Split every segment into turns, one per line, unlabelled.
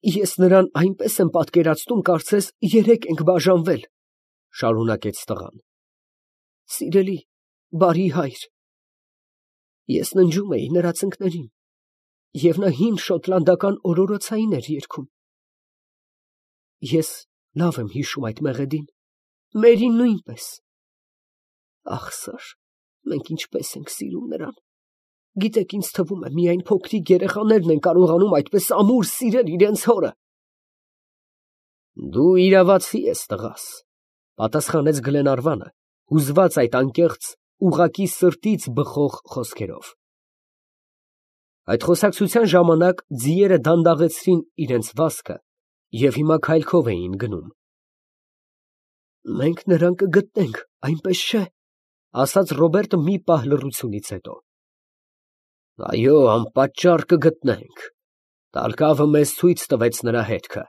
Ես նրան այնպես եմ պատկերացնում, կարծես երեք ենք բաժանվել, շարունակեց տղան։ Սիրելի, բարի հայր, ես ննջում էի նրա ծնկներին, և նա հին շոտլանդական օրորոցային էր երգում։ Ես լավ եմ հիշում այդ մեղեդին, Մերին նույնպես։ Ախ, սար, մենք ինչպես ենք սիրում նրան։ Գիտեք, ինձ թվում է, միայն փոքրիկ երեխաներն են կարողանում այդպես ամուր սիրել իրենց հորը։ Դու իրավացի ես, տղաս, պատասխանեց Գլենարվանը, հուզված այդ անկեղծ, ուղղակի սրտից բխող խոսքերով։ Այդ խոսակցության ժամանակ ձիերը դանդաղեցրին իրենց վազքը և հիմա քայլքով էին գնում։ Մենք նրան կգտնենք, այնպես չէ, ասաց Ռոբերտը մի պահ լռությունից հետո։ Այո, անպատճառ կգտնենք։ Տալկավը մեզ ցույց տվեց նրա հետքը,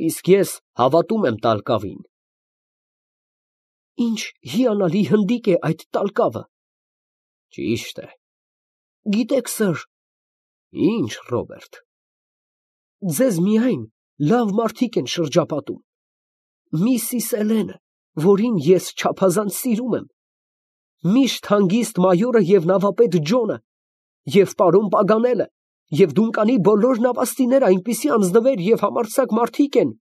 իսկ ես հավատում եմ Տալկավին։ Ինչ հիանալի հնդիկ է այդ Տալկավը։ Ճիշտ է։ Գիտեք, սըր։ Ինչ, Ռոբերտ։ Ձեզ միայն լավ մարդիկ են շրջապատում։ Միսիս Էլենը, որին ես չափազանց սիրում եմ, միշտ հանգիստ մայորը և նավապետ Ջոնը, և պարոն Պագանելը, և Դունկանի բոլոր նավաստիները այնպիսի անձնվեր և համարձակ մարդիկ են։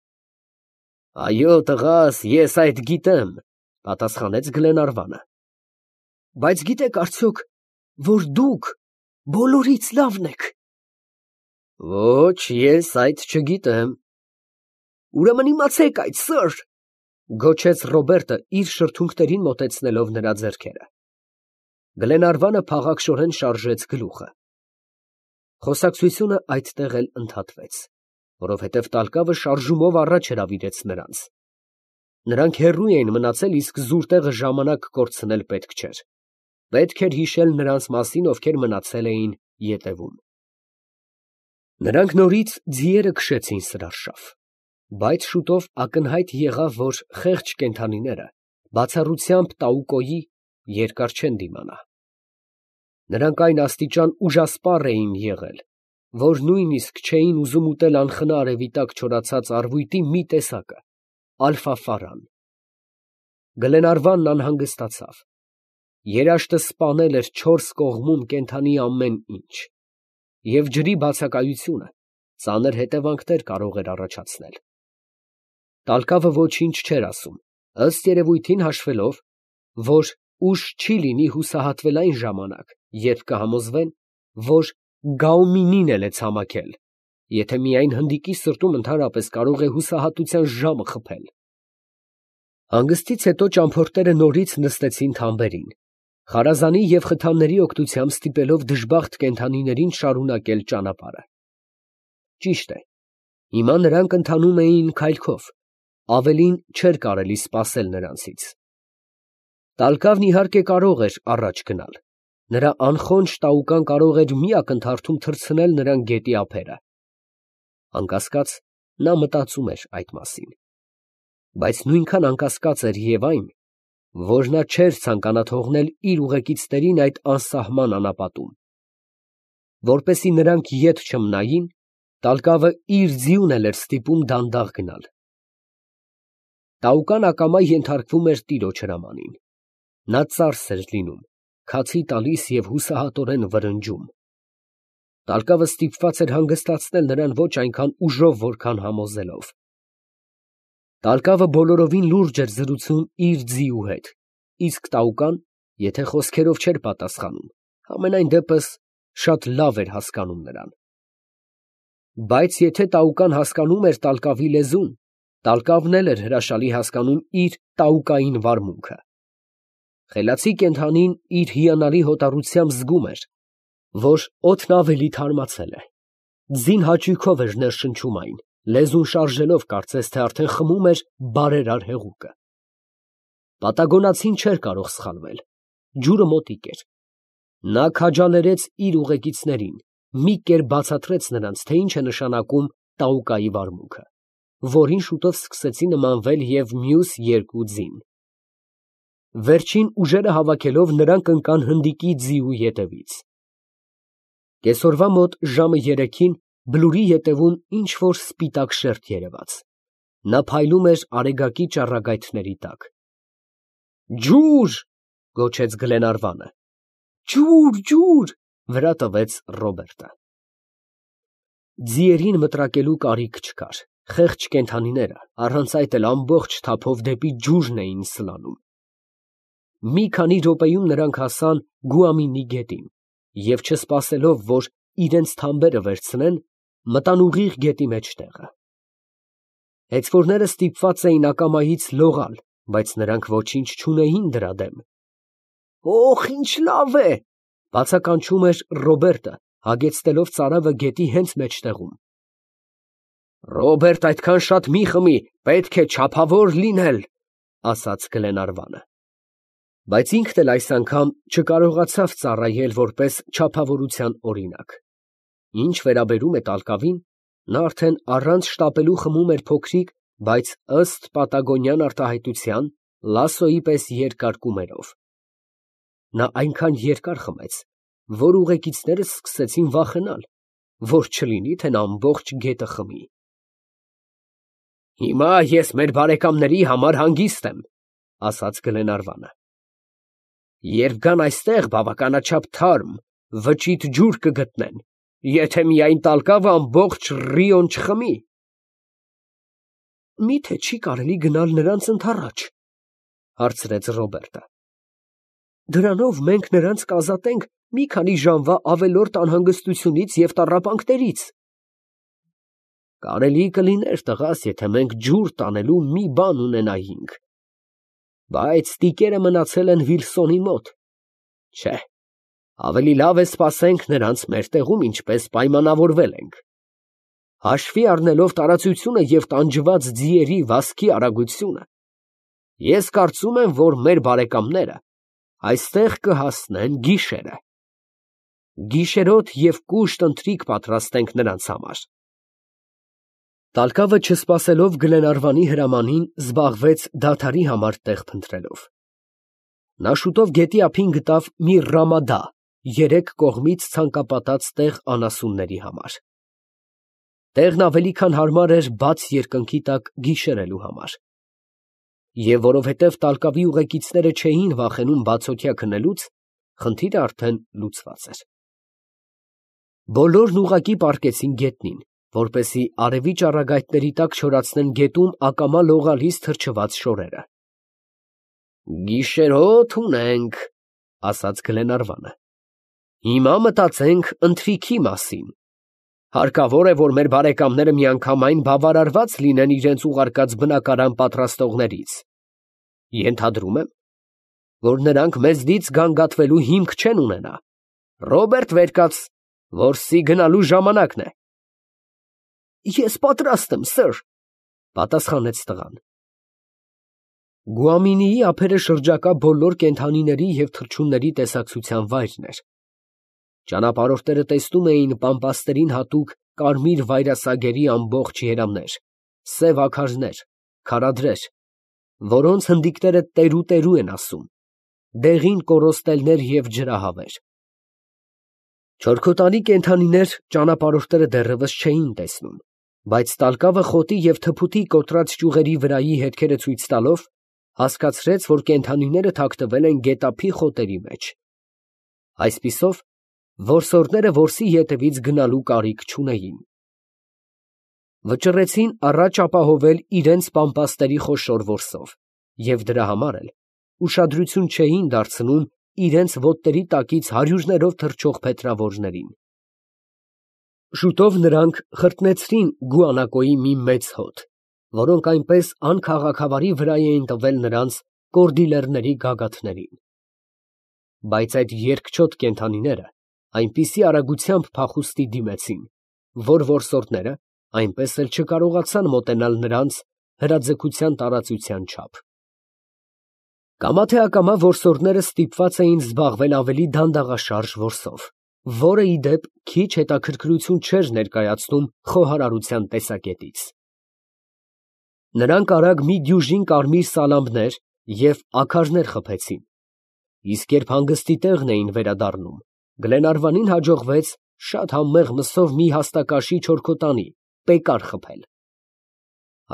Այո, տղաս, ես այդ գիտեմ, պատասխանեց Գլենարվանը։ Բայց գիտեք արդյոք, որ դուք բոլորից լավն եք։ Ոչ, ես այդ չգիտեմ։ Ուրեմն իմացեք այդ, սըր, գոչեց Ռոբերտը իր շրթունքներին մոտեցնելով նրա ձեռքերը։ Գլենարվանը փաղաքշորեն շարժեց գլուխը։ Խոսակցությունը այդտեղ էլ ընդհատվեց, որովհետև Տալկավը շարժումով առաջ հրավիրեց նրանց։ Նրանք հեռու էին մնացել, իսկ զուր տեղը ժամանակ կորցնել պետք չէր։ Պետք էր հիշել նրանց մասին, ովքեր մնացել էին ետևում։ Նրանք նորից ձիերը քշեցին սրարշավ, բայց շուտով ակնհայտ եղավ, որ խեղճ կենդանիները բացառությամբ Տաուկոյի երկար չեն դիմանա։ Նրանք այն աստիճան ուժասպառ էին եղել, որ նույնիսկ չէին ուզում ուտել անխնա արևի տակ չորացած առվույտի մի տեսակը, ալֆաֆարան։ Գլենարվանն անհանգստացավ։ Երաշտը սպանել էր չորս կողմում կենդանի ամեն ինչ, և ջրի բացակայությունը ծանր հետևանքներ կարող էր առաջացնել։ Տալկավը ոչինչ չէր ասում, ըստ երևույթին հաշվելով, որ ուշ չի լինի հուսահատվել այն ժամանակ, երբ կհամոզվեն, որ Գաումինին էլ է ցամաքել, եթե միայն հնդիկի սրտում ընդհանրապես կարող է հուսահատության ժամը խփել։ Հանգստից հետո ճամփորդները նորից նստեցին թամբերին, խարազանի և խթանների օգնությամբ ստիպելով դժբախտ կենդանիներին շարունակել ճանապարհը։ Ճիշտ է, հիմա նրանք ընթանում էին քայլքով, ավելին չէր կարելի սպասել նրանցից։ Տալկավն իհարկե կարող էր առաջ գնալ, նրա անխոնջ տաուկան կարող էր մի ակնթարթում թռցնել նրան գետի ափերը։ Անկասկած, նա մտածում էր այդ մասին, բայց նույնքան անկասկած էր և այն, որ նա չէր ցանկանա թողնել իր ուղեկիցներին այդ անսահման անապատում։ Որպեսզի նրանք ետ չմնային, Տալկավը իր ձիուն էլ էր ստիպում դանդաղ գնալ։ Տաուկան ակամա ենթարկվում էր տիրոջ հրամանին։ Նա ծարս էր լինում, քացի տալիս և հուսահատորեն վրնջում։ Տալկավը ստիպված էր հանգստացնել նրան ոչ այնքան ուժով, որքան համոզելով։ Տալկավը բոլորովին լուրջ էր զրուցում իր ձիու հետ, իսկ տաուկան, եթե խոսքերով չէր պատասխանում, համենայն դեպս շատ լավ էր հասկանում նրան։ Բայց եթե տաուկան հասկանում էր Տալկավի լեզուն, Տալկավն էլ էր հրաշալի հասկանում իր տաուկային վարմունքը։ Խելացի կենդանին իր հիանալի հոտառությամբ զգում էր, որ օդն ավելի թարմացել է։ Ձին հաճույքով էր ներշնչում այն, լեզուն շարժելով, կարծես թե արդեն խմում էր բարերար հեղուկը։ Պատագոնացին չէր կարող սխալվել։ Ջուրը մոտիկ էր։ Նա քաջալերեց իր ուղեկիցներին, մի կերպ բացատրեց նրանց, թե ինչ է նշանակում տաուկայի վարմունքը, որին շուտով սկսեցին նմանվել և մյուս երկու ձին։ Վերջին ուժերը հավաքելով նրանք ընկան հնդիկի ձիու ետևից։ Կեսօրվա մոտ ժամը 3-ին բլուրի ետևում ինչ-որ սպիտակ շերտ երևաց։ Նա փայլում էր արեգակի ճառագայթների տակ։ «Ջուր!» գոչեց Գլենարվանը։ «Ջուր, ջուր!» վրա տվեց Ռոբերտը։ Ձիերին մտրակելու կարիք չկար, խեղճ կենդանիները առանց այդ էլ ամբողջ թափով դեպի ջուրն էին սլանում։ Մի քանի րոպեում նրանք հասան Գուամինի գետին և չսպասելով, որ իրենց թամբերը վերցնեն, մտան ուղիղ գետի մեջտեղը։ Հեծվորները ստիպված էին ակամայից լողալ, բայց նրանք ոչինչ չունեին դրա դեմ։ «Օխ, ինչ լավ է!» բացականչում էր Ռոբերտը, հագեցնելով ծարավը գետի հենց մեջտեղում։ «Ռոբերտ, այդքան շատ մի խմի, պետք է չափավոր լինել», ասաց Գլենարվանը։ Բայց ինքն էլ այս անգամ չկարողացավ ծառայել որպես չափավորության օրինակ։ Ինչ վերաբերում է տալկավին, նա արդեն առանց շտապելու խմում էր փոքրիկ, բայց ըստ պատագոնյան արտահայտության լասոյի պես երկար կումերով։ Նա այնքան երկար խմեց, որ ուղեկիցներս սկսեցին վախենալ, որ չլինի, թե նա ամբողջ գետը խմի։ «Հիմա ես մեր բարեկամների համար հանգիստ եմ», ասաց Գլենարվանը։ «Երբ գան այստեղ, բավականաչափ թարմ, վճիտ ջուր կգտնեն, եթե միայն տալկավը ամբողջ ռիոն չխմի»։ «Մի՞թե չի կարելի գնալ նրանց ընդառաջ», հարցրեց Ռոբերտը։ «Դրանով մենք նրանց կազատենք մի քանի ժամվա ավելորդ անհանգստությունից և տառապանքներից»։ «Կարելի կլիներ, տղաս, եթե մենք ջուր տանելու մի բան ունենայինք, բայց տիկերը մնացել են Վիլսոնի մոտ։ Չէ, ավելի լավ է սպասենք նրանց մեր տեղում, ինչպես պայմանավորվել ենք։ Հաշվի առնելով տարածությունը և տանջված ձիերի վազքի արագությունը, ես կարծում եմ, որ մեր բարեկամները այստեղ կհասնեն գիշերը։ Գիշերոտ և կուշտ ընթրիք պատրաստենք նրանց համար»։ Տալկավը, չսպասելով Գլենարվանի հրամանին, զբաղվեց դադարի համար տեղ փնտրելով։ Նա շուտով գետի ափին գտավ մի ռամադա երեք կողմից ցանկապատած տեղ անասունների համար։ Տեղն ավելի քան հարմար էր բաց երկնքի տակ գիշերելու համար։ Եվ որովհետև տալկավի ուղեկիցները չէին վախենում բացօթյա քնելուց, խնդիրը արդեն լուծված էր։ Բոլորն ուղղակի պառկեցին գետնին, որպեսզի արևի ճառագայթների տակ չորացնեն գետում ակամա լողալիս թրջված շորերը։ «Գիշերոտ ունենք», ասաց Գլենարվանը։ «Հիմա մտածենք ընթրիքի մասին։ Հարկավոր է, որ մեր բարեկամները միանգամայն բավարարված լինեն իրենց ուղարկած բնակարան պատրաստողներից։ Ենթադրում եմ, որ նրանք մեզնից գանգատվելու հիմք չեն ունենա։ Ռոբերտ, վեր կաց, որսի գնալու ժամանակն է»։ «Ես պատրաստ եմ, սըր», պատասխանեց տղան։ Գուամինիի ափերը շրջակա բոլոր կենդանիների և թռչունների տեսակցության վայրն էր։ Ճանապարհորդները տեսնում էին պամպասներին հատուկ կարմիր վայրասագերի ամբողջ երամներ, սև աքարներ, քարադրեր, որոնց հնդիկները տերու են ասում, դեղին կոռոստելներ և ջրահավեր։ Չորքոտանի կենդանիներ ճանապարհորդները դեռևս չէին տեսնում, բայց տալկավը խոտի և թփուտի կոտրած ճյուղերի վրայի հետքերը ցույց տալով, հասկացրեց, որ կենդանիները թաքնվել են գետափի խոտերի մեջ։ Այսպիսով, որսորդները որսի ետևից գնալու կարիք չունեին։ Վճռեցին առաջ ապահովել իրենց պամպասների խոշոր որսով և դրա համար էլ ուշադրություն չէին դարձնում իրենց ոտների տակից հարյուրներով թռչող փետրավորներին։ Շուտով նրանք խրտնեցրին գուանակոյի մի մեծ հոտ, որոնք այնպես անքաղաքավարի վրա էին տվել նրանց կորդիլերների գագաթներին։ Բայց այդ երկչոտ կենդանիները այնպիսի արագությամբ փախուստի դիմեցին, որ որսորդները այնպես էլ չկարողացան մոտենալ նրանց հրաձգության տարածության չափ։ Կամա թե ակամա որսորդները ստիպված էին զբաղվել ավելի դանդաղաշարժ որսով, որը, ի դեպ, քիչ հետաքրքրություն չէր ներկայացնում խոհարարության տեսակետից։ Նրանք արագ մի դյուժին կարմիր սալամներ և աքարներ խփեցին, իսկ երբ հանգստի տեղն էին վերադառնում, Գլենարվանին հաջողվեց շատ համեղ մսով մի հաստակաշի չորքոտանի, պեկար խփել։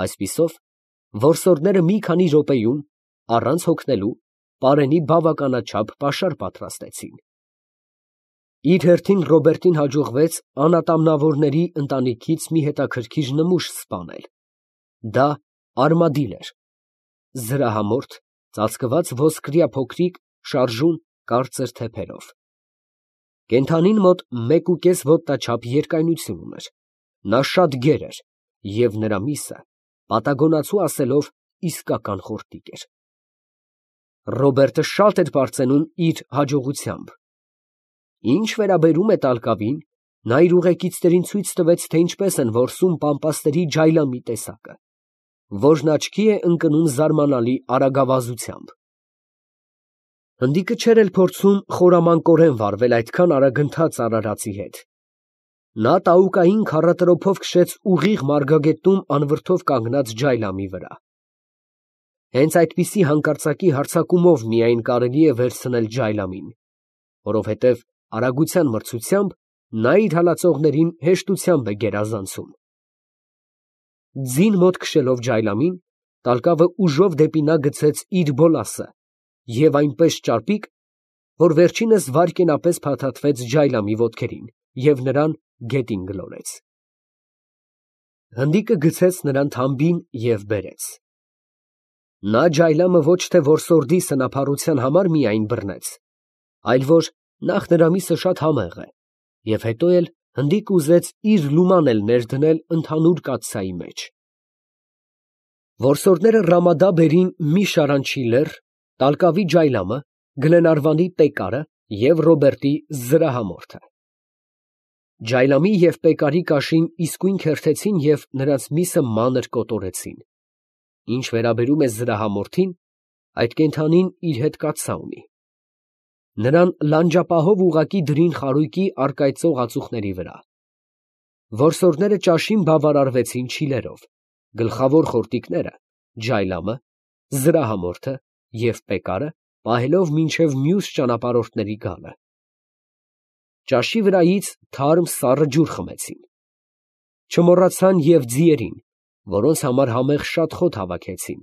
Այսպիսով, որսորդները մի քանի րոպեում, առանց հոգնելու, պարենի բավականաչափ պաշար պատրաստեցին։ Իր հերթին Ռոբերտին հաջողվեց անատամնավորների ընտանիքից մի հետաքրքիր նմուշ սպանել։ Դա արմադիլ էր, զրահամորթ, ծածկված ոսկրյա փոքրիկ, շարժուն, կարծր թեփերով։ Կենդանին մոտ 1.5 ոտնաչափ երկայնություն ուներ, նա շատ գեր էր և նրա միսը, պատագոնացու ասելով, իսկական խորտիկ էր։ Ռոբերտը շատ էր պարծենում իր հաջողությամբ։ Ինչ վերաբերում է տալկավին, նա իր ուղեկիցներին ցույց տվեց, թե ինչպես են որսում պամպասների ջայլամի տեսակը, որն աչքի է ընկնում զարմանալի արագավազությամբ։ Հնդիկը չէր էլ փորձում խորամանկորեն վարվել այդքան արագընթաց արարածի հետ։ Նա տաուկային քառատրոփով քշեց ուղիղ մարգագետնում անվրդով կանգնած ջայլամի վրա։ Հենց այդպիսի հանկարծակի հարձակումով միայն կարելի է վերցնել ջայլամին, որովհետև արագության մրցությամբ նա իր հալածողներին հեշտությամբ է գերազանցում։ Ձին մոտ քշելով ջայլամին, տալկավը ուժով դեպի նա գցեց իր բոլասը և այնպես ճարպիկ, որ վերջինս վայրկենապես փաթաթվեց ջայլամի ոտքերին և նրան գետին գլորեց։ Հնդիկը գցեց նրան թամբին և բերեց։ Նա ջայլամը ոչ թե որսորդի սնափառության համար միայն բռնեց, այլ որ նախ նրա միսը շատ համեղ է, և հետո էլ հնդիկը ուզեց իր լուման էլ ներդնել ընդհանուր կաթսայի մեջ։ Որսորդները Ռամադա բերին մի շարանչի լեռ, տալկավի ջայլամը, Գլենարվանի պեկարը և Ռոբերտի զրահամորթը։ Ջայլամի և պեկարի կաշին իսկույն քերթեցին և նրանց միսը մանր կոտորեցին։ Ինչ վերաբերում է զրահամորթին, այդ կենդանին իր հետ կաթսա ունի։ Նրան լանջապահով ուղղակի դրին խարույկի առկայծող ածուխների վրա։ Որսորդները ճաշին բավարարվեցին չիլերով, գլխավոր խորտիկները, ջայլամը, զրահամորթը և պեկարը պահելով մինչև մյուս ճանապարհորդների գալը։ Ճաշի վրայից թարմ սառը ջուր խմեցին։ Չմոռացան և ձիերին, որոնց համար համեղ շատ խոտ հավաքեցին,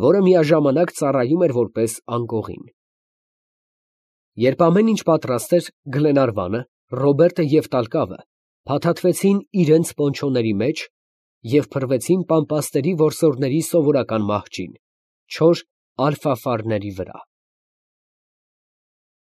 որը միաժամանակ ծառայում էր որպես անկողին։ Երբ ամեն ինչ պատրաստ էր, Գլենարվանը, Ռոբերտը և տալկավը փաթաթվեցին իրենց պոնչոների մեջ և փռվեցին պամպասների որսորդների սովորական մահճին՝ չոր ալֆաֆարների վրա։